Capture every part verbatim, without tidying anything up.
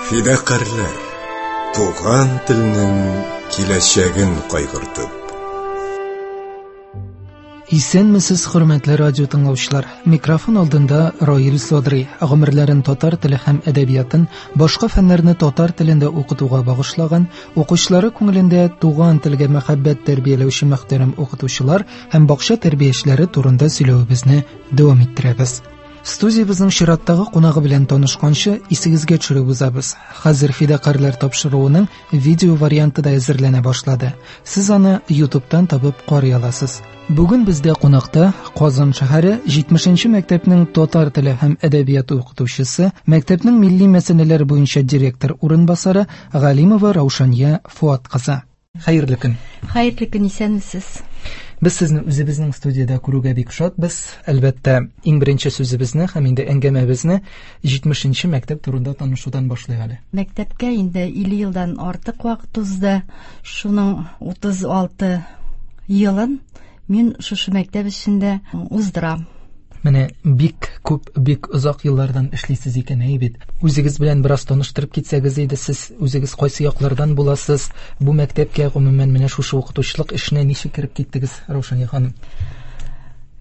Фидакарьләр, туган телнең киләчәген кайгыртып. Исәнмесез, хөрмәтле радио тыңлаучылар. Микрофон алдында Раил Садри. Гомерләрен татар теле һәм әдәбиятын, башка фәннәрне татар телендә укытуга багышлаган, укучылары күңелендә туган телгә мәхәббәт тәрбияләүче мөхтәрәм укытучылар һәм бакча тәрбиячеләре турында сөйләвебезне дәвам иттерәбез. Студиябезнең чираттагы кунагы белән танышканчы исегезгә төшереп узабыз. Хәзер Фидакарьләр тапшыруының видео варианты да әзерләнә башлады. Сез аны YouTube'тан табып карый аласыз. Бүген бездә кунакта Казан шәһәре җитмешенче мәктәпнең татар теле һәм әдәбияты укытучысы, мәктәпнең милли мәсьәләләр буенча директор урынбасары Галимова Раушания Фуат кызы. Хәерле көн. Хәерле көн, исәнмесез. Без сезне үзебезнең студиядә күрүгә бик шатбыз. Әлбәттә, иң беренче сүзебезне һәм инде әңгәмәбезне җитмешенче мәктәп турында танышудан башлыйк әле. Мәктәпкә инде илле елдан артык вакыт узды. Шуның утыз алты елын мин шушы мәктәп эчендә уздырам. Менә бик күп, бик озак еллардан эшлисез икән, әй бит. Үзегез белән бераз таныштырып китсәгез иде, сез үзегез кайсы яклардан буласыз? Бу мәктәпкә гомумән менә шушы укытучылык эшенә ничек кереп киттегез, Раушания ханым?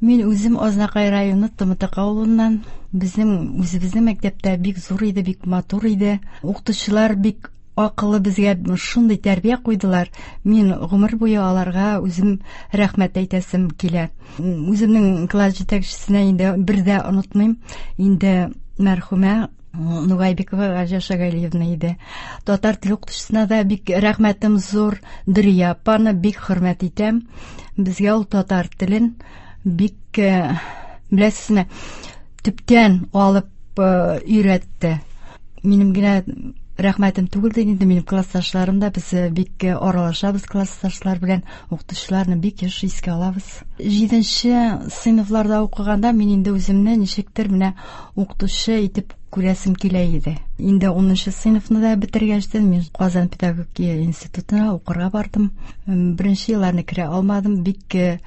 Мин үзем Азнакай районы Тымытык авылыннан. Безнең үзебезнең мәктәптә бик зур иде, бик матур иде. Укытучылар бик акыллы, безгә шундый тәрбия куйдылар. Мин гомер буе аларга үзем рәхмәт әйтәсем килә. Үземнең класс җитәкчесенә инде бер дә онытмыйм. Инде мәрхүмә Нугайбекова Гаҗа Шагалиевна иде. Татар теле укытучысына да бик рәхмәтем зур. Дөрия апаны бик хөрмәт итәм. Безгә ул татар телен бик, э, беләсезме, төптән алып, э, өйрәтте. Минем генә рәхмәтем түгел дә инде, минем классташларым да, без бик аралашабыз классташлар белән, укытучыларны бик еш искә алабыз. Җиденче сыйныфларда укыганда мин инде үземне ничектер менә укытучы итеп күрәсем килә иде. Инде унынчы сыйныфны да бетергәчтен мин Казан педагогия институтына укырга бардым. Беренче елларны керә алмадым, бик, э,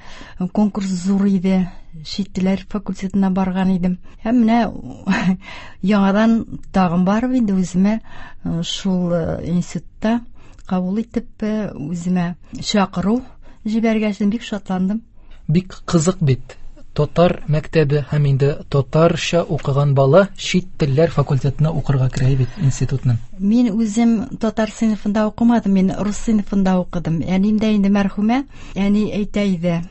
конкурс зур иде. Чит телләр факультетына барган идем. Һәм менә яңадан тагын барып инде үземә, э, шул, э, институтта кабул итеп, э, үземә чакыру җибәргәч, бик шатландым. Бик кызык бит. Татар мәктәбе һәм инде татарча укыган бала чит телләр факультетына укырга керә бит институтның. Мин үзем татар сыйныфында укымадым, мин рус сыйныфында укыдым. Әнием дә инде мәрхүмә, әни әйтә иде: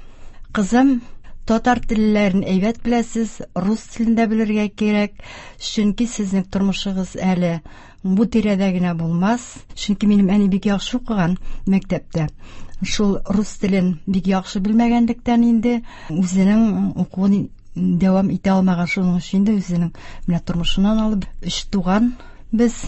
Кызым, татар телләрен әйбәт беләсез, рус телен дә белергә кирәк, чөнки сезнең тормышыгыз әле бу тирәдә генә булмас. Чөнки минем әни бик яхшы укыган мәктәптә. Шул рус телен бик яхшы белмәгәнлектән инде үзенең укуын дәвам итә алмаган. Шуның өчен инде үзенең менә тормышыннан алып өч туган без.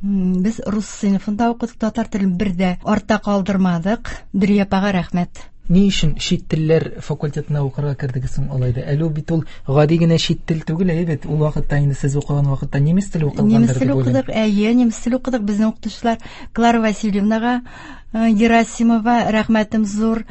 М, без рус сыйныфында укыдык, татар телен бер дә артта калдырмадык. Дөрия апага рәхмәт. Ни өчен чит телләр факультетына укырга кердегез соң алай да? Әле ул бит ул гади генә чит тел түгел, әйе бит. Ул вакытта инде сез укыган вакытта немец теле укылгандыр Немец теле дип уйлыйм. укыдык, әйе, немец теле укыдык. Безнең укытучылар Клара Васильевнага, э, Герасимова рәхмәтем зур.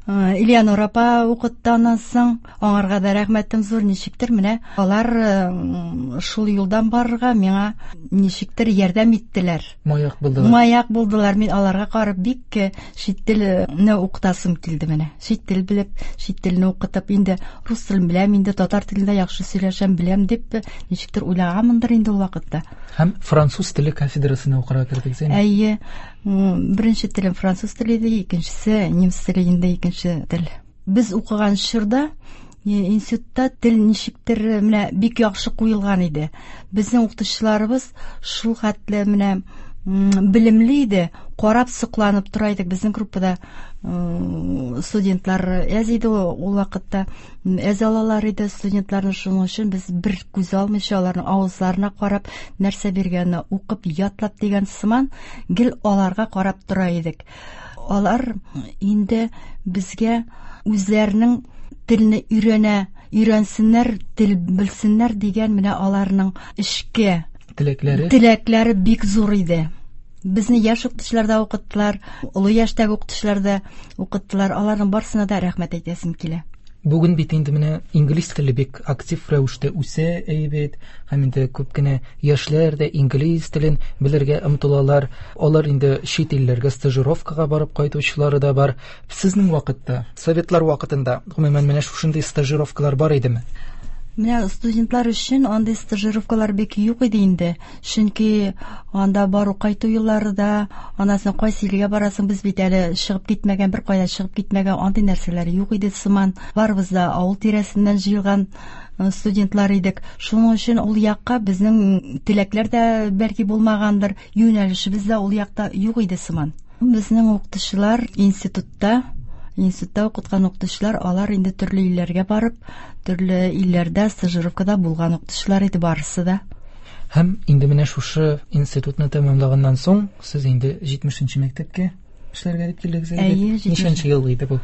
Э, Элеонора апа укытты аннан соң, аңарга да рәхмәтем зур. Ничектер менә алар, э, шул юлдан барырга миңа ничектер ярдәм иттеләр. Маяк булдылар. Маяк булдылар. Мин аларга карап бик, э, чит телне укытасым килде менә. Чит тел белеп, чит телне укытып, инде рус телен беләм, инде татар телендә яхшы сөйләшәм, беләм дип, э, ничектер уйлаганмындыр инде ул вакытта. Һәм француз теле кафедрасына укырга кердегез, әйеме? Әйе. М, беренче телем француз теле иде, икенчесе немец теле инде, икенче тел. Без укыган чорда, э, институтта тел ничектер, э, менә бик яхшы куелган иде. Безнең укытучыларыбыз шул хәтле менә, м, белемле иде, карап сокланып тора идек. Безнең группада, м, студентлар әз иде ул, ул вакытта, м, әз алалар иде студентларны. Шуның өчен без бер күз алмыйча аларның авызларына карап, нәрсә биргәнне укып, ятлап дигән сыман гел аларга карап тора идек. Алар инде безгә үзләренең телне өйрәнә, өйрәнсеннәр, тел белсеннәр дигән менә аларның эчке теләкләре теләкләре бик зур иде. Безне яшь укытучылар да укыттылар, олы яшьтәге укытучылар да укыттылар. Аларның барысына да рәхмәт әйтәсем килә. Бүген бит инде менә инглиз теле бик актив рәвештә үсә әйбәт, һәм инде күп кенә яшьләр дә инглиз телен белергә омтылалар. Алар инде чит илләргә стажировкага барып кайтучылары да бар. Сезнең вакытта, советлар вакытында, гомумән менә шушындый стажировкалар бар идеме? Менә студентлар өчен андый стажировкалар бик юк иде инде. Чөнки анда бару кайту юллары да, аннан соң кайсы илгә барасың, без бит әле чыгып китмәгән, бер кая чыгып китмәгән, андый нәрсәләр юк иде сыман. Барыбыз да авыл тирәсеннән җыелган студентлар идек. Шуның өчен ул якка безнең теләкләр дә бәлки булмагандыр, юнәлешебез дә ул якта юк иде сыман. Безнең укытучылар институтта Институтта укыткан укытучылар, алар инде төрле илләргә барып, төрле илләрдә стажировкада булган укытучылар иде барысы да. Һәм инде менә шушы институтны тәмамлаганнан соң, сез инде җитмешенче мәктәпкә эшләргә дип килдегез инде. Ничәнче ел иде бу?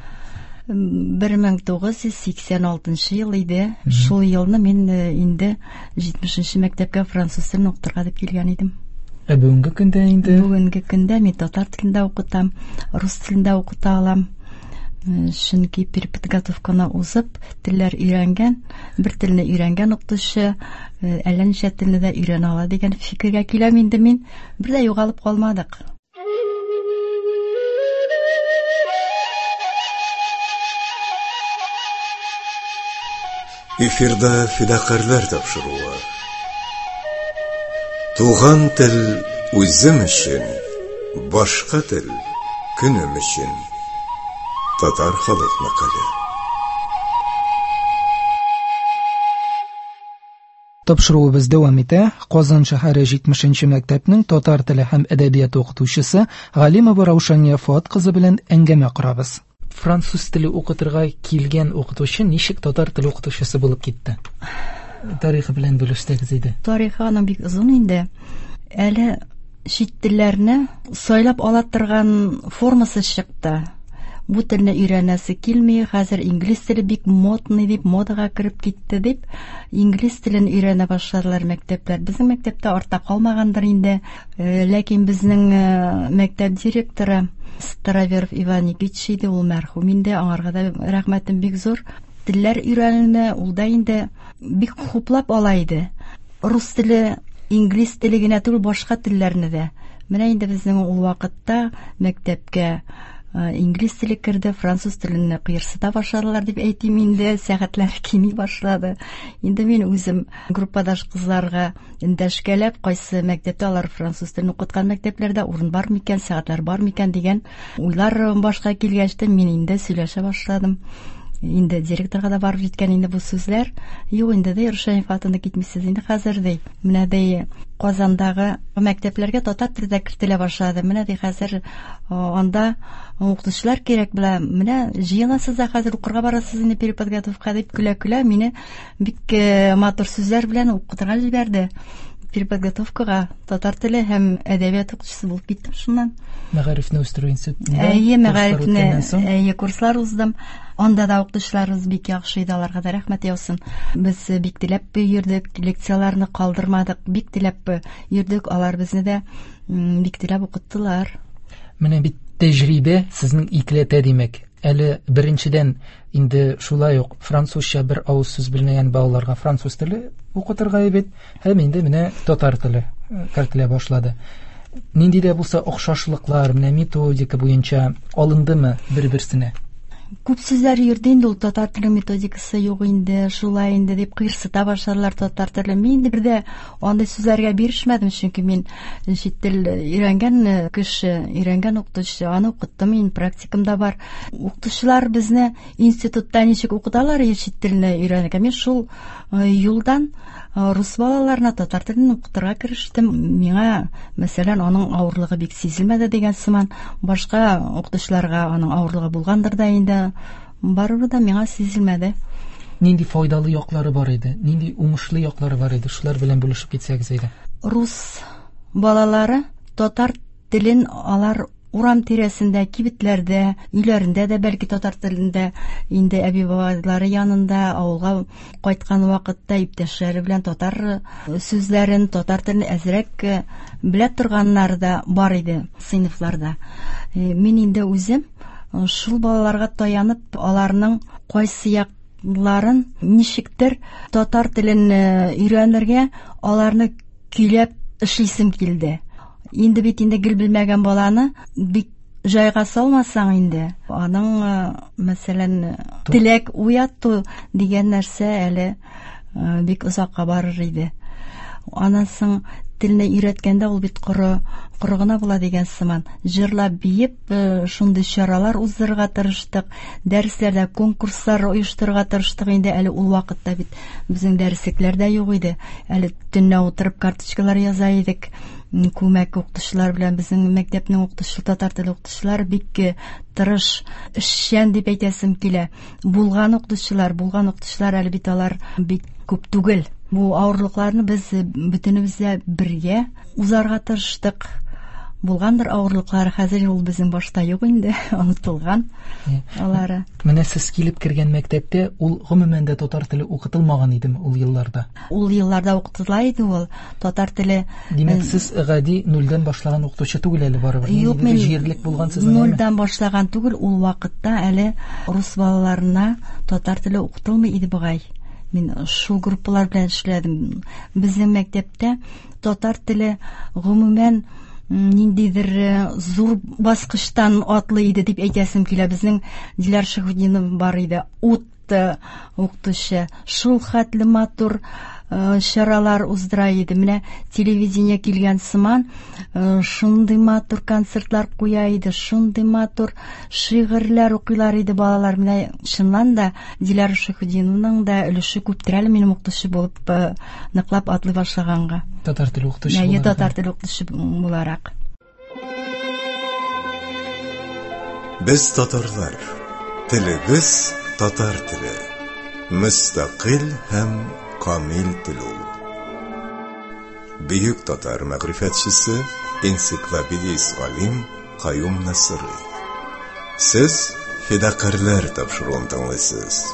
бер мең тугыз йөз сиксән алтынчы ел иде. Шул елны мин инде җитмешенче мәктәпкә француз телен укытырга дип килгән идем. Ә бүгенге көндә инде? Бүгенге көндә мин татар телендә укытам, рус телендә укыта алам. Чөнки переподготовканы узып, телләр өйрәнгән, бер телне өйрәнгән укытучы әллә ничә телне дә өйрәнә ала дигән фикергә киләм инде мин. Бер дә югалып калмадык. Эфирда фидакарьләр тапшыруы. Туган тел үзем өчен, башка тел көнем өчен. Татар халык мәкале. Тапшыруыбыз дәвам итә. Казан шәһәре җитмешенче мәктәпнең татар теле һәм әдәбияты укытучысы Галимова Раушания Фуат кызы белән әңгәмә корабыз. Француз теле укытырга килгән укытучы ничек татар теле укытучысы булып китте? Тарихы белән бүлешсәгез иде. Тарихы аның бик озын инде. Әле чит телләрне сайлап ала торган формасы чыкты. Бу телне өйрәнәсе килми, хәзер инглиз теле бик модный дип, модага кереп китте дип, инглиз телен өйрәнә башладылар мәктәпләр. Безнең мәктәптә артта калмагандыр инде, ләкин безнең мәктәп директоры Староверов Иван Никитич иде, ул мәрхүм инде, аңарга да рәхмәтем бик зур. Телләр өйрәнүне ул да инде бик хуплап ала иде. Рус теле, инглиз теле генә түгел, башка телләрне дә. Менә инде безнең ул вакытта мәктәпкә инглиз теле керде, француз телен кыерсыта башладылар дип әйтим инде, сәгатьләр кими башлады. Инде мин үзем группадаш кызларга эндәшкәләп, кайсы мәктәптә алар француз телен укыткан мәктәпләрдә урын бар микән, сәгатьләр бар микән дигән уйлар башка килгәч тә мин инде сөйләшә башладым. Инде директорга да барып җиткән инде бу сүзләр. Юк инде ди, Рушания Фатыны китмисез инде хәзер ди. Менә ди Казандагы мәктәпләргә татар теле дә кертелә башлады. Менә ди хәзер анда укытучылар кирәк була. Менә җыеласыз да хәзер укырга барасыз инде переподготовка дип көлә-көлә мине бик матур сүзләр белән укытырга җибәрде. Переподготовкага татар теле һәм әдәбият укытучысы булып киттем шуннан. Мәгарифне үстерү институтында. Әйе, мәгарифне, әйе, курслар уздым. Анда да укытучыларыбыз бик яхшы иде, аларга да рәхмәт яусын. Без бик теләп йөрдек, лекцияләрне калдырмадык, бик теләп йөрдек, алар безне дә бик теләп укыттылар. Менә бит тәҗрибә сезнең икеләтә димәк. Әле беренчедән инде шулай ук французча бер авыз сүз белмәгән балаларга француз теле укытырга бит, һәм инде менә татар теле кертелә башлады. Нинди дә булса охшашлыклар, менә методика буенча алындымы бер-берсенә? Күп сүзләр йөрде инде ул татар теле методикасы юк инде, шулай инде дип кыерсыта башладылар татар теле. Мин инде бер дә андый сүзләргә бирешмәдем, чөнки мин чит тел өйрәнгән кеше, өйрәнгән укытучы, аны укыттым, мин практикамда бар. Укытучылар безне институтта ничек укыталар чит телне өйрәнергә, мин шул юлдан рус балаларына татар телен укытырга керештем. Миңа, мәсәлән, аның авырлыгы бик сизелмәде дигән сыман, башка укытучыларга аның авырлыгы булгандыр да инде, барыбер да миңа сизелмәде. Нинди файдалы яклары бар иде, нинди уңышлы яклары бар иде, шулар белән бүлешеп китсәгез иде. Рус балалары татар телен алар урам тирәсендә, кибетләрдә, өйләрендә дә бәлки татар телендә, инде әби-бабайлары янында, авылга кайткан вакытта иптәшләре белән татар сүзләрен, татар телен әзрәк белә торганнар да бар иде сыйныфларда. Мин инде үзем шул балаларга таянып, аларның кайсы як Ларын ничектер татар телен өйрәнергә аларны көйләп эшлисем килде. Инде бит инде гел белмәгән баланы бик җайга салмасаң инде, аның, мәсәлән, теләк уяту дигән нәрсә әле бик озакка барыр иде. Аннан соң телне өйрәткәндә ул бит коры, коры гына була дигән сыман. Җырлап, биеп, шундый чаралар уздырырга тырыштык, дәресләрдә конкурслар оештырырга тырыштык. Инде әле ул вакытта бит безнең дәреслекләр дә юк иде. Әле төнлә утырып карточкалар яза идек. Күмәк укытучылар белән безнең мәктәпнең укытучы, татар теле укытучылары бик тырыш, эшчән дип әйтәсем килә. Булган укытучылар, булган укытучылар әле бит алар бик күп түгел. Бу авырлыкларны без бөтенебез дә бергә узарга тырыштык. Булгандыр авырлыклар, хәзер ул безнең башта юк инде, онытылган алары. Менә сез килеп кергән мәктәптә ул гомумән дә татар теле укытылмаган идеме ул елларда? Ул елларда укытыла иде ул татар теле. Димәк, сез гади нульдән башлаган укытучы түгел әле барыбер. Юк, мин җирлек булган сезнең, әйеме? Нульдән башлаган түгел, ул вакытта әле рус балаларына татар теле укытылмый иде бугай. Мин шул группалар белән эшләдем. Безнең мәктәптә татар теле гомумән ниндидер зур баскычтан атлы иде дип әйтәсем килә. Безнең Диләр Шәһүдинов бар иде, ут укытучы, шул хәтле матур чаралар уздыра иде. Менә телевидение килгән сыман, шундый матур концертлар куя иде, шундый матур шигырьләр укыйлар иде балалар. Менә чыннан да Диләр Шәһүдиновның да өлеше күптер әле минем укытучы булып ныклап атлый башлаганга. Татар теле укытучы Әйе, буларак. Татар теле укытучы буларак. Без татарлар, телебез татар теле, мөстәкыйль һәм камил тел ул. Бөек татар мәгърифәтчесе, энциклопедист галим Каюм Насыйри. Сез Фидакарьләр тапшыруын тыңлыйсыз.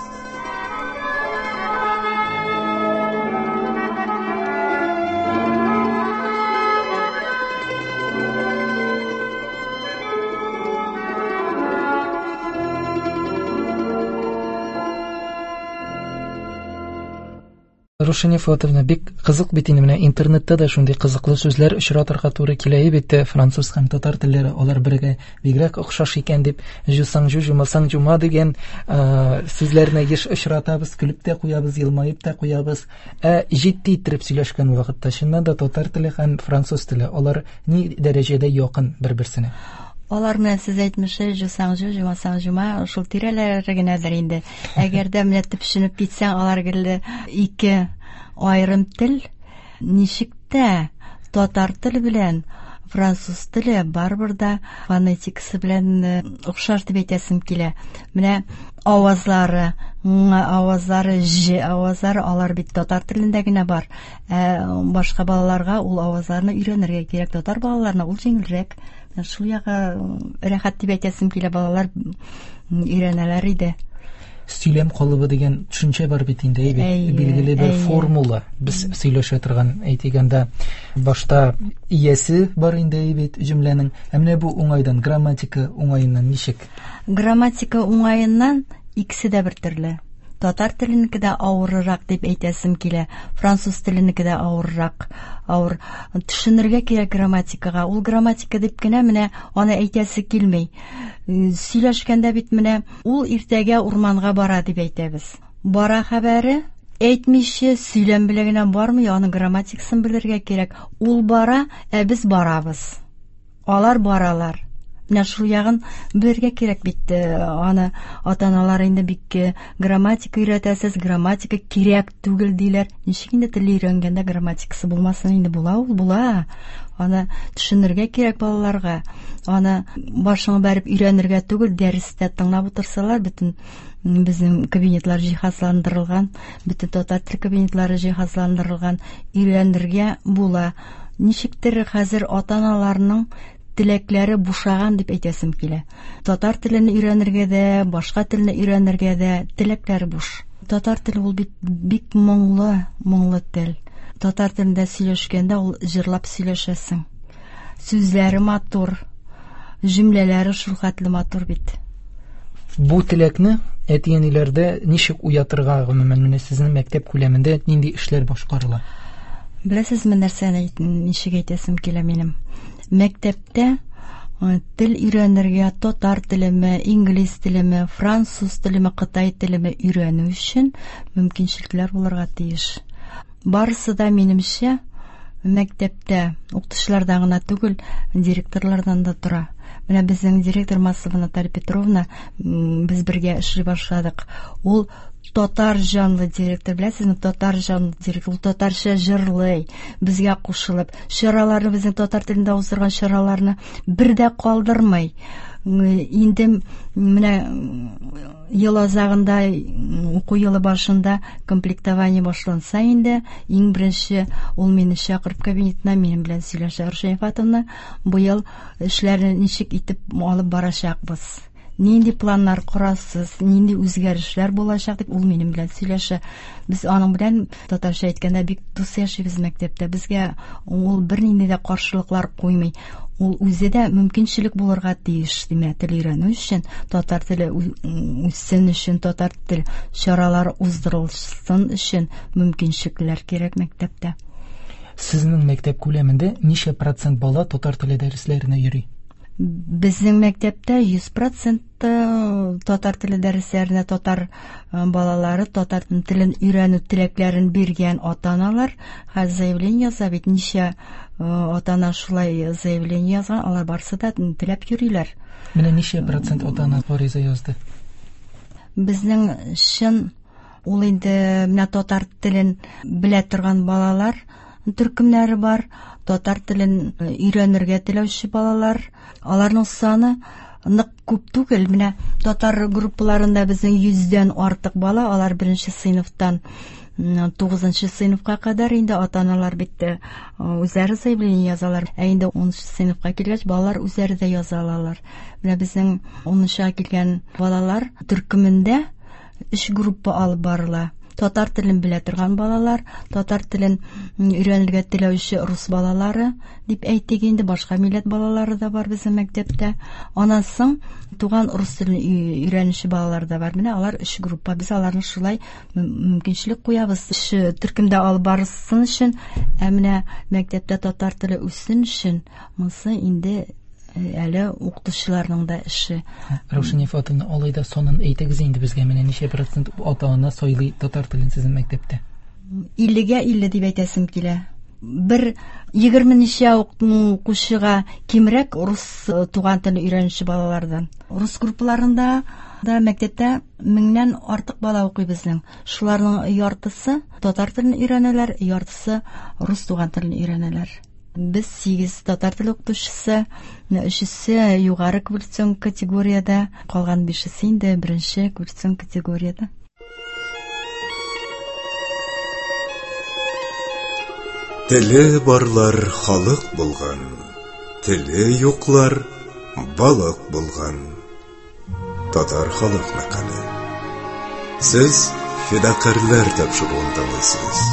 Рушания Фуатовна, бик кызык бит инде, менә интернетта да шундый кызыклы сүзләр очратырга туры килә бит. Француз һәм татар телләре алар бергә бигрәк охшаш икән дип, жусаң жу, жумасаң жума дигән, э, сүзләрне еш очратабыз, көлеп тә куябыз, елмаеп та куябыз. Ә җитди итеп сөйләшкән вакытта чыннан да татар теле һәм француз теле алар ни дәрәҗәдә якын бер-берсенә? Алар менә сез әйтмешә, жусаң жу, жумасаң жума, шул тирәләре генәдер инде. Әгәр дә менә төпченеп китсәң, алар гел ике аерым тел. Ничек тә татар теле белән француз теле барыбер дә фонетикасы белән, э, охшаш дип әйтәсем килә. Менә авазлары, ң авазлары, ж авазлары, алар бит татар телендә генә бар. Ә башка балаларга ул авазларны өйрәнергә кирәк. Татар балаларына ул җиңелрәк. Шул ягы рәхәт дип әйтәсем килә, балалар өйрәнәләр иде. Сөйләм калыбы дигән төшенчә бар бит инде, әйе бит? Әйе, Билгеле бер әйе. формула. Без сөйләшә торган, әйтик анда, башта иясе бар инде, әйе бит, җөмләнең. Ә менә бу уңайдан, грамматика уңаеннан ничек? Грамматика уңаеннан икесе дә бер төрле. Татар теленеке дә авыррак дип әйтәсем килә, француз теленеке дә авыррак. Авыр. Төшенергә кирәк грамматикага. Ул грамматика дип кенә менә аны әйтәсе килми. Сөйләшкәндә бит менә ул иртәгә урманга бара дип әйтәбез. Бара хәбәре әйтмичә сөйләм белән генә бармый, аның грамматикасын белергә кирәк. Ул бара, ә без барабыз. Алар баралар. Менә шул ягын белергә кирәк бит. Аны ата-аналар инде бик грамматика өйрәтәсез, грамматика кирәк түгел диләр. Ничек инде тел өйрәнгәндә грамматикасы булмасын инде, була ул, була. Аны төшенергә кирәк балаларга. Аны башыңа бәреп өйрәнергә түгел, дәрестә тыңлап утырсалар, бөтен безнең кабинетлар җиһазландырылган, бөтен татар тел кабинетлары җиһазландырылган, өйрәнергә була. Ничектер хәзер ата-аналарның теләкләре бушаган дип әйтәсем килә. Татар телен өйрәнергә дә, башка телне өйрәнергә дә теләкләре буш. Татар теле ул бит бик моңлы, моңлы тел. Татар телендә сөйләшкәндә ул җырлап сөйләшәсең. Сүзләре матур, җөмләләре шул хәтле матур бит. Бу теләкне әти-әниләрдә ничек уятырга, гомумән, менә сезнең мәктәп күләмендә нинди эшләр башкарыла? Беләсезме, нәрсәне ничек әйтәсем килә минем? Мәктәптә тел өйрәнергә татар телеме, инглиз телеме, француз телеме, кытай телеме өйрәнү өчен мөмкинчелекләр булырга тиеш. Барысы да минемчә мәктәптә укытучылардан гына түгел, директорлардан да тора. Менә безнең директор Маслова Наталья Петровна, без бергә эшли башладык. Ул татар җанлы директор, беләсезме, татар җанлы директор, ул татарча җырлый, безгә кушылып, чараларны, безнең татар телендә уздырган чараларны бер дә калдырмый. Инде менә ел азагында, уку елы башында комплектование башланса инде, иң беренче ул мине чакырып кабинетына, минем белән сөйләшә. Рушания Фатовна, быел эшләрне ничек итеп алып барачакбыз? Нинди планнар корасыз, нинди үзгәрешләр булачак дип ул минем белән сөйләшә. Без аның белән татарча әйткәндә бик дус яшибез мәктәптә. Безгә ул бернинди дә каршылыклар куймый. Ул үзе дә мөмкинчелек булырга тиеш, димәк, тел өйрәнү өчен, татар теле үссен өчен, татар тел чаралары уздырылсын өчен мөмкинчелекләр кирәк мәктәптә. Сезнең мәктәп күләмендә ничә процент бала татар теле дәресләренә йөри? Безнең мәктәптә йөз процент татар теле дәресләренә татар балалары татар телен өйрәнү теләкләрен биргән ата-аналар хәзер заявление яза бит. Ничә ата-ана шулай заявление язган, алар барысы да теләп йөриләр. Менә ничә процент ата-ана гариза язды? Безнең чын ул инде менә татар телен белә торган балалар төркемнәре бар, татар телен өйрәнергә теләүче балалар, аларның саны нык күп түгел. Менә татар группаларында безнең йөздән артык бала, алар беренче сыйныфтан тугызынчы сыйныфка кадәр инде ата-аналар бит үзләре заявление язалар. Ә инде унынчы сыйныфка килгәч, балалар үзләре дә яза алалар. Менә безнең унынчыга килгән балалар төркемендә өч группа алып барыла. Татар телен белә торган балалар, татар телен өйрәнергә теләүче рус балалары дип әйтик инде, башка милләт балалары да бар безнең мәктәптә. Аннан соң туган рус телен өйрәнүче балалар да бар. Менә алар өч группа. Без аларны шулай мөмкинчелек куябыз. Өч төркемдә алып барсын өчен, ә менә мәктәптә татар теле үссен өчен, монысы инде әле укытучыларның да эше. Раушания Фатовна, алай да санын әйтегез инде безгә, менә ничә процент ата-ана сайлый татар телен сезнең мәктәптә? Иллегә илле дип әйтәсем килә. Бер егерме ничә укучыга кимрәк рус туган телен өйрәнүче балалардан. Рус группаларында да мәктәптә меңнән артык бала укый безнең. Шуларның яртысы татар телен өйрәнәләр, яртысы рус туган телен өйрәнәләр. Без сигез татар теле укытучысы, өчесе югары квалификацион категориядә, калган бишесе инде беренче квалификацион категориядә. Теле барлар халык булган, теле юклар балык булган. Татар халык мәкале. Сез фидакарьләр тапшыруын тыңлыйсыз.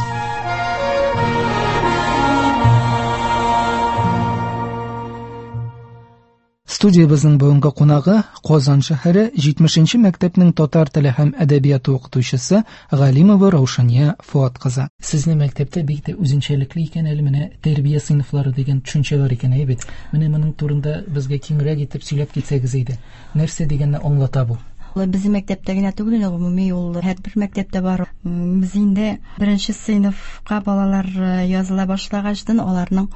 Студиябезнең бүгенге кунагы Казан шәһәре җитмешенче мәктәпнең татар теле һәм әдәбияты укытучысы Галимова Раушания Фуат кызы. Сезнең мәктәптә бик тә үзенчәлекле икән әле менә тәрбия сыйныфлары дигән төшенчә бар икән, әйе бит. Менә моның турында безгә киңрәк итеп сөйләп китсәгез иде. Нәрсә дигәнне аңлата бу? Безнең мәктәптә генә түгел, гомуми ул һәрбер мәктәптә бар. Без инде беренче сыйныфка балалар языла башлагачтан аларның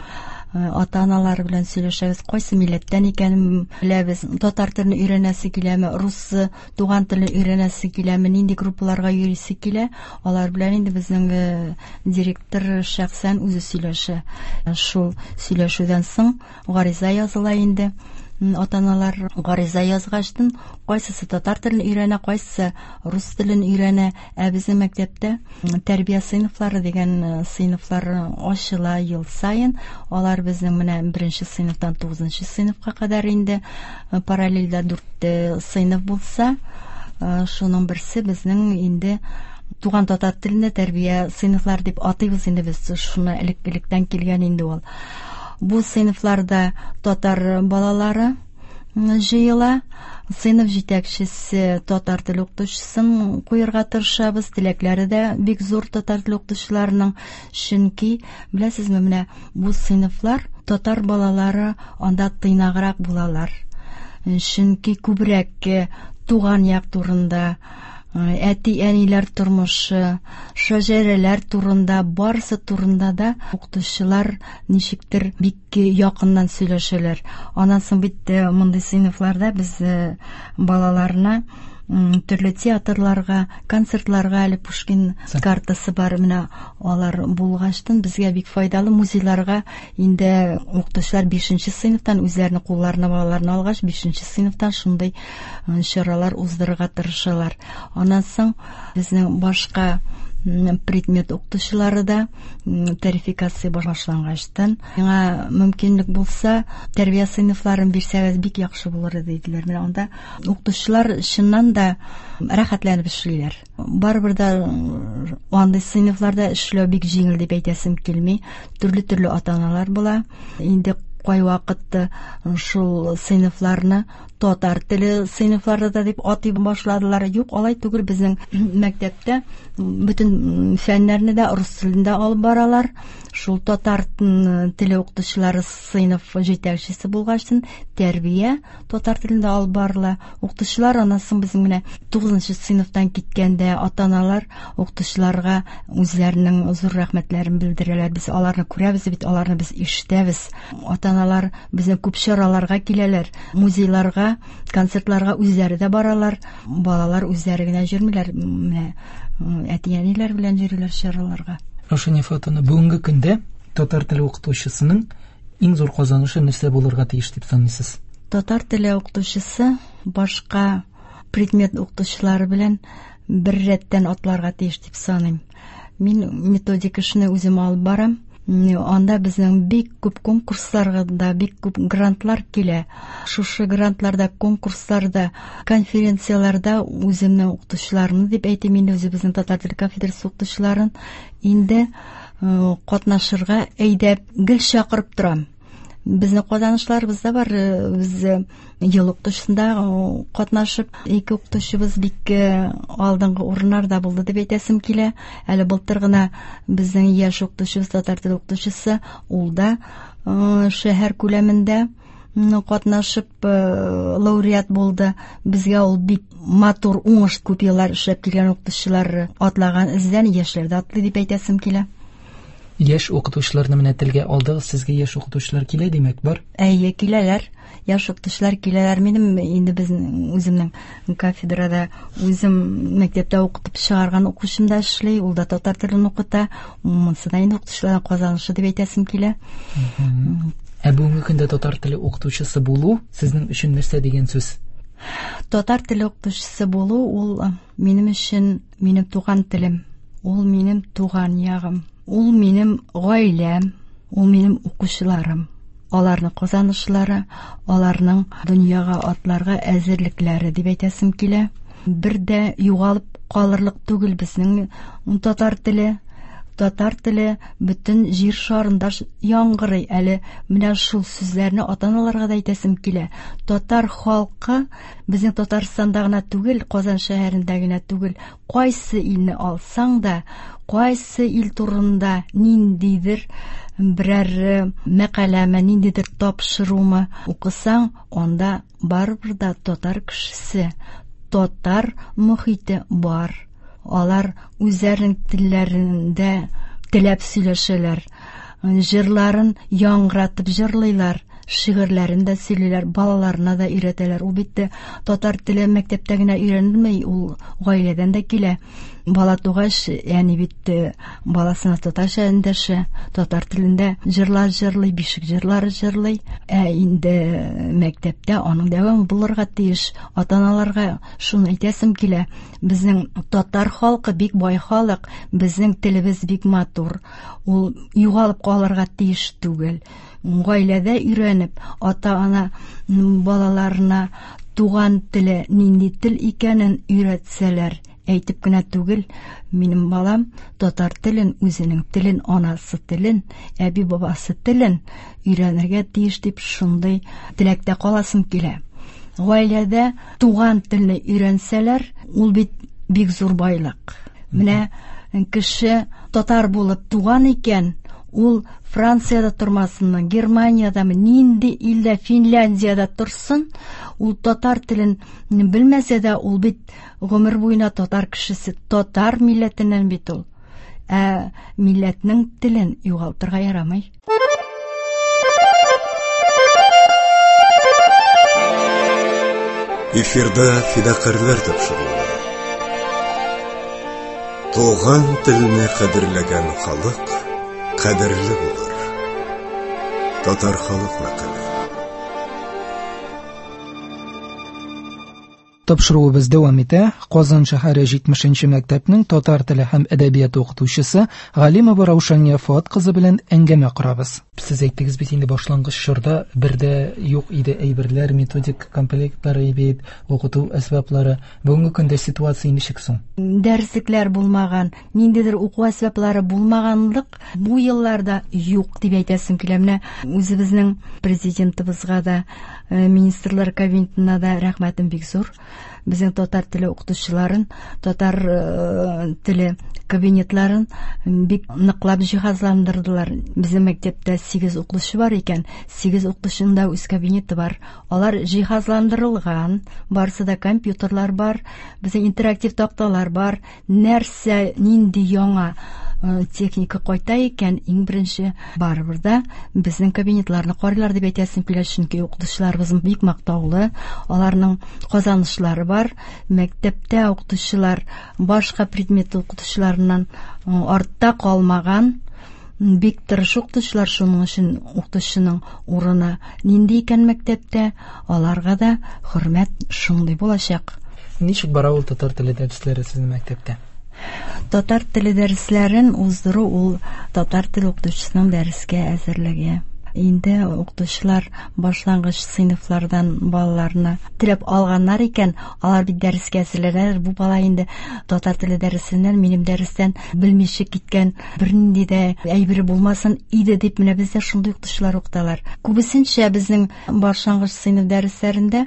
ата-аналары белән сөйләшәбез, кайсы милләттән икәнен беләбез, татар телен өйрәнәсе киләме, рус туган телен өйрәнәсе киләме, нинди группаларга йөрисе килә, алар белән инде безнең директор шәхсән үзе сөйләшә. Шул сөйләшүдән соң гариза языла инде. Ата-аналар гариза язгачтын, кайсысы татар телен өйрәнә, кайсысы рус телен өйрәнә. Ә безнең мәктәптә тәрбия сыйныфлары дигән сыйныфлар ачыла ел саен. Алар безнең менә беренче сыйныфтан тугызынчы сыйныфка кадәр инде параллельдә дүрт сыйныф булса, шуның берсе безнең инде туган татар телендә тәрбия сыйныфлары дип атыйбыз инде без, шуны элек-электән килгән инде ул. Бу сыйныфларда татар балалары җыела. Сыйныф җитәкчесе татар теле укытучысын куярга тырышабыз. Теләкләре дә бик зур татар теле укытучыларының, чөнки беләсезме, менә бу сыйныфлар татар балалары анда тыйнаграк булалар. Чөнки күбрәк туган як турында, әти-әниләр тормышы, шәҗәрәләр турында, барысы турында да укытучылар ничектер бик якыннан сөйләшәләр. Аннан соң бит мондый сыйныфларда без балаларны төрле театрларга, концертларга, әле Пушкин картасы бар, менә алар булгачтын безгә бик файдалы. Музейларга инде укытучылар бишенче сыйныфтан үзләренең кулларына балаларны алгач, бишенче сыйныфтан шундый чаралар уздырырга тырышалар. Аннан соң безнең башка предмет укытучылары да тарификация башлангачтан, миңа мөмкинлек булса, тәрбия сыйныфларын бирсәгез бик яхшы булыр иде диделәр. Менә анда укытучылар чыннан да рәхәтләнеп эшлиләр. Барыбер дә андый сыйныфларда эшләү бик җиңел дип әйтәсем килми. Төрле-төрле ата-аналар була. Инде кайвакытта шул сыйныфларны татар теле сыйныфлары да дип атый башладылар. Юк, алай түгел, безнең мәктәптә бөтен фәннәрне дә рус телендә алып баралар. Шул татар теле укытучылары сыйныф җитәкчесе булгачтын тәрбия татар телендә алып барыла. Укытучылар аннан соң безнең менә тугызынчы сыйныфтан киткәндә ата-аналар укытучыларга үзләренең зур рәхмәтләрен белдерәләр. Без аларны күрәбез бит, аларны без ишетәбез. Ата-аналар безнең күп чараларга киләләр, музейларга, концертларга үзләре дә баралар. Балалар үзләре генә йөрмиләр, менә әти-әниләр белән йөриләр чараларга. Раушания Фатовна, бүгенге көндә татар теле укытучысының иң зур казанышы нәрсә булырга тиеш дип саныйсыз? Татар теле укытучысы башка предмет укытучылары белән бер рәттән атларга тиеш дип саныйм. Мин методика эшне үзем алып барам. Анда безнең бик күп конкурсларга да, бик күп грантлар килә. Шушы грантларда, конкурсларда, конференцияләрдә үземнең укытучыларымны дип әйтим инде, үзебезнең татар теле кафедрасы укытучыларын инде катнашырга әйдәп гел чакырып торам. Безнең казанышларыбыз да бар. Без ел укытучысында катнашып, ике укытучыбыз бик алдынгы урыннарда булды дип әйтәсем килә. Әле былтыр гына безнең яшь укытучыбыз, татар теле укытучысы, ул да шәһәр күләмендә катнашып лауреат булды. Безгә ул бик матур уңыш, күп еллар эшләп килгән укытучылар атлаган эздән яшьләр дә атлый дип әйтәсем килә. Яшь укытучыларны менә телгә алдыгыз, сезгә яшь укытучылар килә димәк, бар? Әйе, киләләр. Яшь укытучылар киләләр. Минем инде безнең үземнең кафедрада үзем мәктәптә укытып чыгарган укучым да эшли, ул да татар телен укыта. Монысы да инде укытучыларның казанышы дип әйтәсем килә. Ә бүгенге көндә татар теле укытучысы булу сезнең өчен нәрсә дигән сүз? Татар теле укытучысы булу ул минем өчен минем туган телем, ул минем туган ягым, ул минем гаиләм, ул минем укучыларым. Аларның казанышлары, аларның дөньяга атларга әзерлекләре дип әйтәсем килә. Бер дә югалып калырлык түгел безнең татар теле. Татар теле бөтен җир шарында яңгырый. Әле менә шул сүзләрне ата-аналарга да әйтәсем килә. Татар халкы безнең Татарстанда гына түгел, Казан шәһәрендә генә түгел, кайсы илне алсаң да, кайсы ил турында ниндидер берәр мәкаләме, ниндидер тапшырумы укысаң, анда барыбер дә татар кешесе, татар мохите бар. Алар үзләренең телләрендә теләп сөйләшәләр, җырларын яңгыратып җырлыйлар, шигырьләрен дә сөйлиләр, балаларына да өйрәтәләр. Ул бит татар теле мәктәптә генә өйрәнелми, ул гаиләдән дә килә. Бала тугач, әни бит баласына татарча эндәшә, татар телендә җырлар җырлый, бишек җырлары җырлый. Ә инде мәктәптә аның дәвамы булырга тиеш. Ата-аналарга шуны әйтәсем килә: безнең татар халкы бик бай халык, безнең телебез бик матур. Ул югалып калырга тиеш түгел. Гаиләдә өйрәнеп, ата-ана балаларына туган теле нинди тел икәнен өйрәтсәләр, әйтеп кенә түгел, минем балам татар телен, үзенең телен, анасы телен, әби-бабасы телен өйрәнергә тиеш дип шундый теләктә каласым килә. Гаиләдә туган телне өйрәнсәләр, ул бит бик зур байлык. Менә кеше татар булып туган икән, ул Франциядә тормасынмы, Германиядәме, нинди илдә, Финляндиядә торсын, ул татар телен белмәсә дә, ул бит гомер буена татар кешесе, татар милләтеннән бит ул. Ә милләтнең телен югалтырга ярамый. Эфирда фидакарьләр тапшыруы. Туган телне кадерләгән халык кадерле булыр. Татар халык мәкале. Тапшыруыбыз дәвам итә. Казан шәһәре җитмешенче мәктәпнең татар теле һәм әдәбияты укытучысы Галимова Раушания Фуат кызы белән әңгәмә корабыз. Сез әйттегез бит инде, башлангыч чорда бердә юк иде әйберләр, методик комплектлары бит, укыту әсбаплары. Бүгенге көндә ситуация ничек соң? Дәреслекләр булмаган, ниндидер уку әсбаплары булмаганлык бу елларда юк дип әйтәсем килә. Менә үзебезнең президентыбызга да, министрлар кабинетына да рәхмәтем бик зур. Безнең татар теле укытучыларын, татар теле кабинетларын бик ныклап җиһазландырдылар. Безнең мәктәптә сигез укытучы бар икән, сигез укытучының да үз кабинеты бар. Алар җиһазландырылган, барысы да компьютерлар бар, безнең интерактив такталар бар. Нәрсә, нинди яңа техника кайта икән, иң беренче барыбер да безнең кабинетларны карыйлар дип әйтәсем килә, чөнки укытучыларыбыз бик мактаулы, аларның казанышлары бар. Мәктәптә укытучылар башка предмет укытучыларыннан артта калмаган, бик тырыш укытучылар. Шуның өчен укытучының урыны нинди икән мәктәптә, аларга да хөрмәт шундый булачак. Ничек бара ул татар теле дәресләре сезнең мәктәптә? Татар теле дәресләрен уздыру ул татар теле укытучысының дәрескә әзерлеге. Инде укытучылар башлангыч сыйныфлардан балаларны теләп алганнар икән, алар бит дәрескә әзерләнәләр. Бу бала инде татар теле дәресеннән, минем дәрестән белмичә киткән, бернинди дә әйбере булмасын иде дип, менә бездә шундый укытучылар укыталар. Күбесенчә безнең башлангыч сыйныф дәресләрендә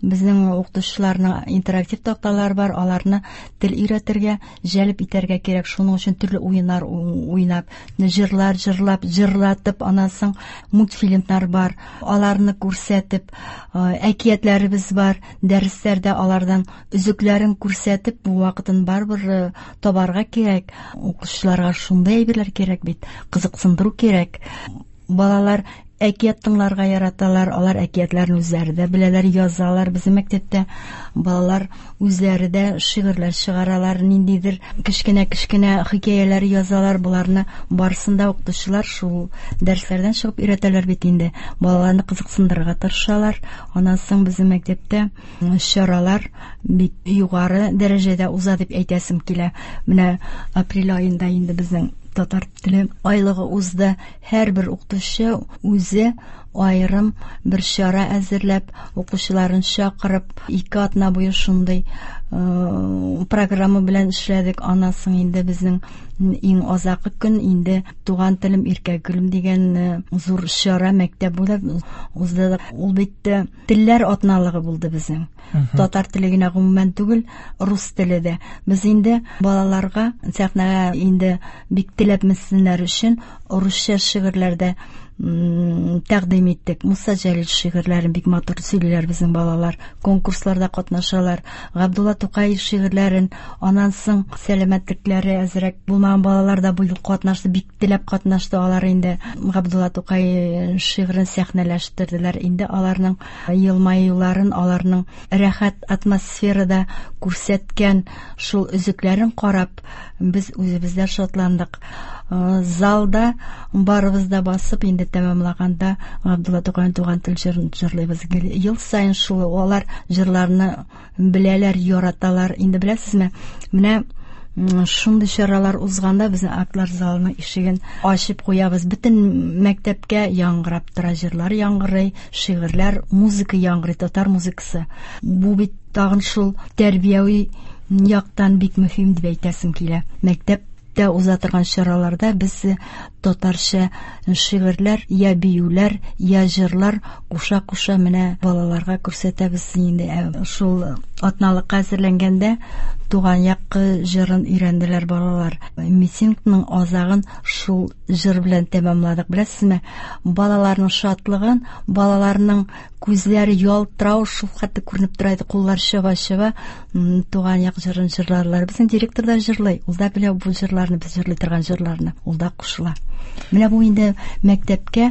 безнең укытучыларның интерактив такталары бар, аларны тел өйрәтергә, җәлеп итәргә кирәк. Шуның өчен төрле уеннар уйнап, җырлар җырлап, җырлатып, аннан соң мультфильмнар бар, аларны күрсәтеп, әкиятләребез бар, дәресләрдә алардан өзекләрен күрсәтеп, бу вакытын барыбер табарга кирәк. Укучыларга шундый әйберләр кирәк бит, кызыксындыру кирәк. Балалар әкият тыңларга яраталар, алар әкиятләрне үзләре дә беләләр, язалар. Безнең мәктәптә балалар үзләре дә шигырьләр чыгаралар, ниндидер кечкенә-кечкенә хикәяләр язалар. Буларны барысын да укытучылар шул дәресләрдән чыгып өйрәтәләр бит инде. Балаларны кызыксындырырга тырышалар. Аннан соң безнең мәктәптә чаралар бик югары дәрәҗәдә уза дип әйтәсем килә. Менә апрель аенда инде безнең татар теле айлыгы узды. Һәрбер укытучы үзе аерым бер чара әзерләп, укучыларын чакырып, ике атна буе шундый программа белән эшләдек. Аннан соң инде безнең иң азакы көн инде Туган телем иркә гөлем дигән зур чара мәктәп буйлап узды. Ул бит телләр атналыгы булды безнең. Татар теле генә гомумән түгел, рус теле дә. Без инде балаларга сәхнәгә инде бик теләп менсеннәр өчен русча шигырьләрдә тәкъдим иттек. Муса Җәлил шигырьләрен бик матур сөйлиләр безнең балалар, конкурсларда катнашалар. Габдулла Тукай шигырьләрен, аннан соң сәламәтлекләре әзрәк булмаган балалар да бу ел катнашты, бик теләп катнашты. Алар инде Габдулла Тукай шигырен сәхнәләштерделәр. Инде аларның елмаюларын, аларның рәхәт атмосферада күрсәткән шул өзекләрен карап, без үзебез дә шатландык. Залда барыбыз да басып, инде тәмамлаганда Габдулла Тукайның Туган тел җырын җырлыйбыз. Ел саен шул алар җырларны беләләр, яраталар. Инде беләсезме, менә шундый чаралар узганда безнең актлар залының ишеген ачып куябыз. Бөтен мәктәпкә яңгырап тора, җырлар яңгырый, шигырьләр, музыка яңгырый, татар музыкасы. Бу бит тагын шул тәрбияви яктан бик мөһим дип әйтәсем килә. Мәктәп Мәктәптә уза торган чараларда без татарча шигырьләр, я биюләр, я җырлар куша-куша менә балаларга күрсәтәбез инде. Шул атналыкка әзерләнгәндә туган як җырын өйрәнделәр балалар. Митингның азагын шул җыр белән тәмамладык. Беләсезме, балаларның шатлыгын, балаларның күзләре ялтырау шул хәтле күренеп тора иде, куллар чаба-чаба туган як җырын җырларлар. Безнең директор да җырлый, ул да белә бу җырларны, без җырлый торган җырларны, ул да кушыла. Менә бу инде мәктәпкә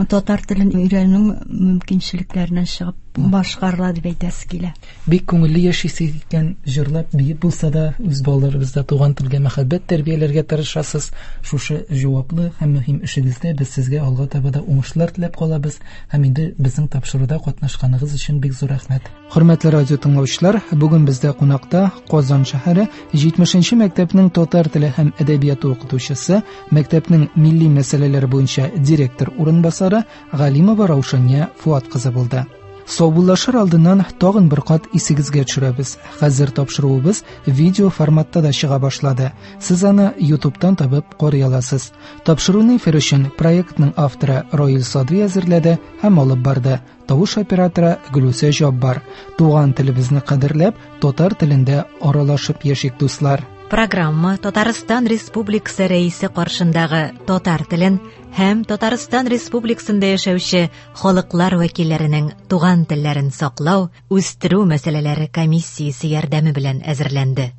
татар телен өйрәнү мөмкинчелекләреннән чыгып башкарыла дип әйтәсе килә. Бик күңелле яшисез икән, җырлап, биеп булса да, үз балаларыбызда туган телгә мәхәббәт тәрбияләргә тырышасыз. Шушы җаваплы һәм мөһим эшегездә без сезгә алга таба да уңышлар теләп калабыз һәм инде безнең тапшыруда катнашканыгыз өчен бик зур рәхмәт. Хөрмәтле радио тыңлаучылар, бүген бездә кунакта Казан шәһәре җитмешенче мәктәпнең татар теле һәм әдәбияты укытучысы, мәктәпнең милли мәсьәләләре буенча директор урынбасары Галимова Раушания Фуат кызы булды. Саубуллашыр алдыннан тагын бер кат исегезгә төшерәбез. Хәзер тапшыруыбыз видео форматта да чыга башлады. Сез аны YouTube'тан табып карый аласыз. Тапшыруны эфир өчен проектның авторы Роил Садри әзерләде һәм алып барды. Тавыш операторы Гөлүсә Җаббар. Туган телебезне кадерләп, татар телендә аралашып яшик, дуслар. Программа Татарстан Республикасы Рәисе каршындагы татар телен һәм Татарстан Республикасында яшәүче халыклар вәкилләренең туган телләрен саклау, үстерү мәсьәләләре комиссиясе ярдәме белән әзерләнде.